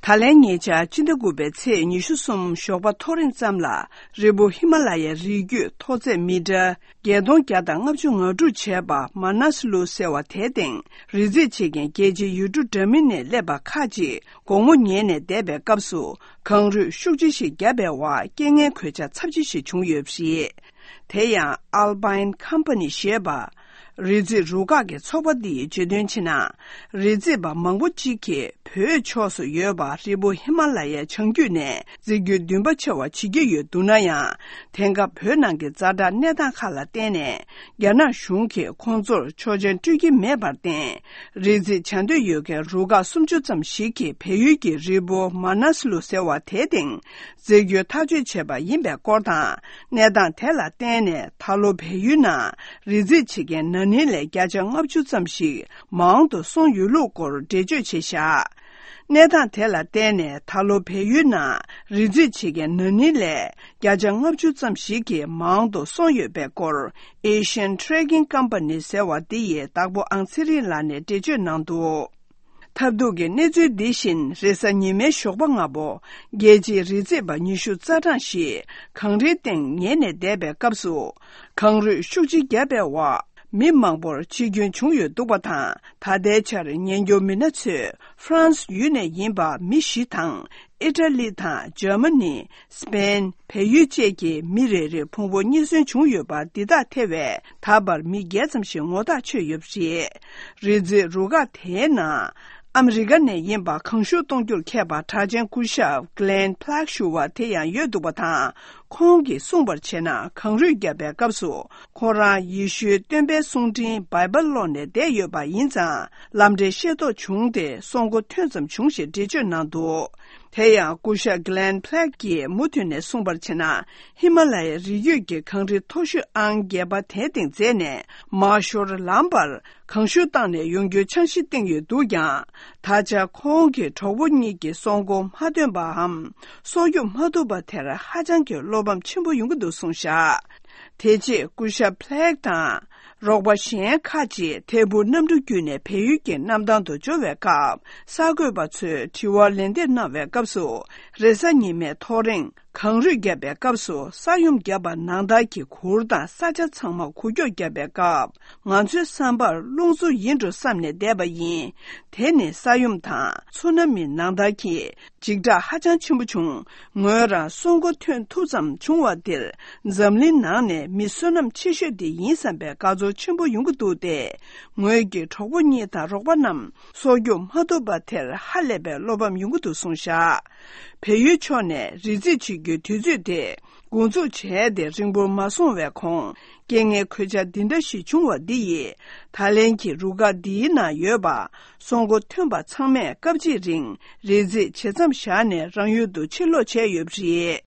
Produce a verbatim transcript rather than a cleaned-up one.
ད་ལན་ཉེ་ཆར་སྤྱི་ཟླ་དགུ་པའི་ཚེས་ཉི་ཤུ་གསུམ་ཞོགས་པ་ཐོ་རེངས་ཙམ་ལ། རི་བོ་ཧི་མ་ལ་ཡའི་རི་རྒྱུད་མཐོ་ཚད་མི་ཊར་བརྒྱད་སྟོང་བརྒྱ་དང་ལྔ་བཅུ་ང་དྲུག་བྱས་པ་མ་ནས་ལུ་ཟེར་བ་དེའི་སྟེང་རི་འཛེག་བྱེད་མཁན་རྒྱལ་སྤྱིའི་ཡུལ་གྲུ་འདྲ་མིན་ནས་སླེབས་པ་ཁག་ཅིག་དགོང་མོ་ཉལ་ནས་བསྡད་པའི་སྐབས་སུ། གངས་རུད་ཤུགས་ཆེ་ཞིག་བརྒྱབ་པའི་འོག་རྐྱེན་ངན་གོད་ཆག་ཚབས་ཆེ་ཞིག་བྱུང་ཡོད་པ་རེད། དེ་ཡང་Alpine Company ཞེས་པ། རི་འཛེག་རུ་ཁག་གི་ཚོགས་པ་འདིས་བརྗོད་དོན་བྱས་ན། རི་འཛེག་པ་མང་པོ་གཅིག་གིས་བོད་ཕྱོགས་སུ་ཡོད་པ་རི་བོ་ཧི་མ་ལ་ཡའི་བྱང་རྒྱུད་ནས་འཛེག་རྒྱུའི་འདུན་པ་ཆེ་བ་བྱེད་ཀྱི་ཡོད་འདུག་ན་ཡང་། དེང་སྐབས་བོད་ནང་གི་ཛ་དྲག་གནས་སྟངས་ཁག་ལ་བརྟེན་ནས། རྒྱ་ནག་གཞུང་གིས་ཁོང་ཚོར་ཆོག་མཆན་སྤྲོད་ཀྱི་མེད་པར་བརྟེན། རི་འཛེག་བྱ་འདོད་ཡོད་མཁན་རུ་ཁག་སུམ་ཅུ་ཙམ་ཞིག་གིས་བལ་ཡུལ་གྱི་རི་བོ་མ་ནས་ལུ་ཟེར་བ་དེའི་སྟེང་འཛེག་རྒྱུའི་ཐག་གཅོད་བྱས་པ་ཡིན་པའི་སྐོར་དང་། གནས་སྟངས་དེ་ལ་བརྟེན་ནས་ད་ལོ་བལ་ཡུལ་ནང་རི་འཛེག་བྱེད་མཁན་ན་ནིང་ལས་བརྒྱ་ཆ་ལྔ་བཅུ་ཙམ་ཞིག་མང་དུ་སོང་ཡོད་ལུགས་སྐོར་འགྲེལ་བརྗོད་བྱས་བཞག་གནས་སྟངས་དེ་ལ་བརྟེན་ནས་ད་ལོ་བལ་ཡུལ་ནང་རི་འཛེག་བྱེད་མཁན་ན་ནིང་ལས་བརྒྱ་ཆ་ལྔ་བཅུ་ཙམ་ཞིག་གིས་མང་དུ་སོང་ཡོད་པའི་སྐོར། Asian Trading Company ཟེར་བ་འདི་ཡིས་བདག་པོ་ཨང་ཚེ་རིང་ལགས་ནས་འགྲེལ་བརྗོད་གནང་འདུག་ཐབས་སྡུག་གི་གནས་ཚུལ་འདི་བཞིན་རེས་གཟའ་ཉི་མའི་ཞོགས་པ་སྔ་པོ། རྒྱལ་སྤྱིའི་རི་འཛེག་པ་ཉི་ཤུ་རྩ་གྲངས་ཤིག་གངས་རིའི་སྟེང་ཉལ་ནས་བསྡད་པའི་སྐབས་སུ། གངས་རུད་ཤུགས་ཆེ་བརྒྱབ་པའི་འོག་མི་མང་པོར་འཆི་སྐྱོན་བྱུང་ཡོད་འདུག་པ་དང་། ད་ལྟའི་ཆར་ཉེན་སྐྱོབ་མི་སྣ་ཚོས་ཧྥ་རན་སི་ཡུལ་ནས་ཡིན་པ་མི་བཞི་དང་། ཨི་ཊ་ལི་དང་འཇར་མ་ནི། སི་པེན། བལ་ཡུལ་བཅས་ཀྱི་མི་རེ་རེར་ཕུང་པོ་རྙེད་སོན་བྱུང་ཡོད་པ་འདི་དག་ཐེ་བའི་ད་བར་མི་བརྒྱད་ཙམ་ཞིག་ངོ་ཐག་ཆོད་ཡོད་པ་རེད། རི་འཛེག་རུ་ཁག་དེའི་ནང་ཨ་མི་རི་ཀ་ནས་ཡིན་པ་གངས་ཤུགས་གཏོང་རྒྱུར་མཁས་པ་གྲགས་ཅན་སྐུ་ཞབས་Glenn Plank ཞུ་བ་དེ་ཡང་ཡོད་འདུག་པ་དང་། ཁོང་གིས་གསུངས་པར་བྱས་ན། གངས་རུད་བརྒྱབ་པའི་སྐབས་སུ་ཁོ་རང་ཡེ་ཤུའི་སྟོན་པའི་གསུང་འཕྲིན་བྷའི་བལ་ཀློག་ནས་བསྡད་ཡོད་པ་ཡིན་ཙང་། ལམ་འབྲས་ཤེས་རྟོགས་བྱུང་སྟེ་སྲོག་མགོ་ཐོན་ཙམ་བྱུང་ཞེས་འགྲེལ་བརྗོད་གནང་འདུག་དེ་ཡང་སྐུ་ཞབས་Glenn Plank གིས་མུ་མཐུད་ནས་གསུངས་པར་བྱས་ན། ཧི་མ་ལ་ཡའི་རི་རྒྱུད་ཀྱི་གངས་རི་མཐོ་ཤོས་ཨང་བརྒྱད་པ་དེའི་སྟེང་འཛེགས་ནས་མར་ཤོར་ལངས་པར་གངས་ཤུགས་བཏང་ནས་ཡོང་རྒྱུའི་འཆར་གཞི་བཏིང་ཡོད་འདུག་ཀྱང་། ད་ཆ་ཁོང་གི་གྲོགས་པོ་གཉིས་ཀྱིས་སྲོག་མགོ་མ་ཐོན་པའམ་སྲོག་སྐྱོབ་མ་ཐུབ་པ་དེར་ཧ་ཅང་གི་བློ་ཕམ་ཆེན་པོ་ཡོང་གི་འདུག་གསུངས་བཞག་དེ་རྗེས་སྐུ་ཞབས་Plank དང་རོགས་པ་གཞན་ཁག་ཅིག་ཐད་འཕུར་གནམ་གྲུ་བརྒྱུད་ནས་བལ་ཡུལ་གྱི་གནམ་ཐང་དུ་འབྱོར་བའི་སྐབས། གསར་འགོད་པ་ཚོས་དྲི་བར་ལན་འདེབས་གནང་བའི་སྐབས་སུ། རེས་གཟའ་ཉི་མའི་ཐོ་རེངས་གངས་རུད་བརྒྱབ་པའི་སྐབས་སུ། ས་ཡོམ་བརྒྱབ་པ་ནང་ལྟར་གྱི་གུར་དང་ས་ཆ་ཚང་མ་འགུལ་སྐྱོད་བརྒྱབ་པའི་སྐབས། ང་ཚོའི་བསམ་པར་རླུང་འཚུབ་ཡིན་འགྲོ་བསམ་ནས་བསྡད་པ་ཡིན། དེ་ནི་ས་ཡོམ་དང་ཚུ་ན་མི་ནང་ལྟར་གྱི་འཇིགས་སྐྲག་ཧ་ཅང་ཆེན་པོ་བྱུང་། ངོས་རང་སྲོག་མགོ་ཐོན་ཐུབ་ཙམ་བྱུང་བ་འདིར། འཛམ་གླིང་ནང་ནས་མི་བསོད་ནམས་ཆེ་ཤོས་དེ་ཡིན་བསམ་པའི་དགའ་ཚོར་ཆེན་པོ་ཡོང་གི་འདུག་སྟེ། ངོས་ཀྱི་གྲོགས་པོ་གཉིས་དང་རོགས་པ་རྣམས་སྲོག་སྐྱོབ་མ་ཐུབ་པ་དེར་ཧ་ལས་པའི་བློ་ཕམ་ཡོང་གི་འདུག་གསུངས་བཞག་བལ་ཡུལ་ཕྱོགས་ནས་རི་འཛེག་བྱེད་རྒྱུའི་དུས་ཚོད་དེ་འགོ་འཛུགས་བྱས་ཏེ་རིང་པོར་མ་སོང་བའི་གོང་། རྐྱེན་ངན་གོད་ཆག་འདི་འདྲ་ཞིག་བྱུང་བ་འདི་ཡིས། ད་ལན་གྱི་རུ་ཁག་འདིའི་ནང་ཡོད་པ་སྲོག་མགོ་ཐོན་པ་ཚང་མས་སྐབས་གཅིག་རིང་རི་འཛེག་བྱེད་མཚམས་བཞག་ནས་རང་ཡུལ་དུ་ཕྱིར་ལོག་བྱས་ཡོད་པ་རེད།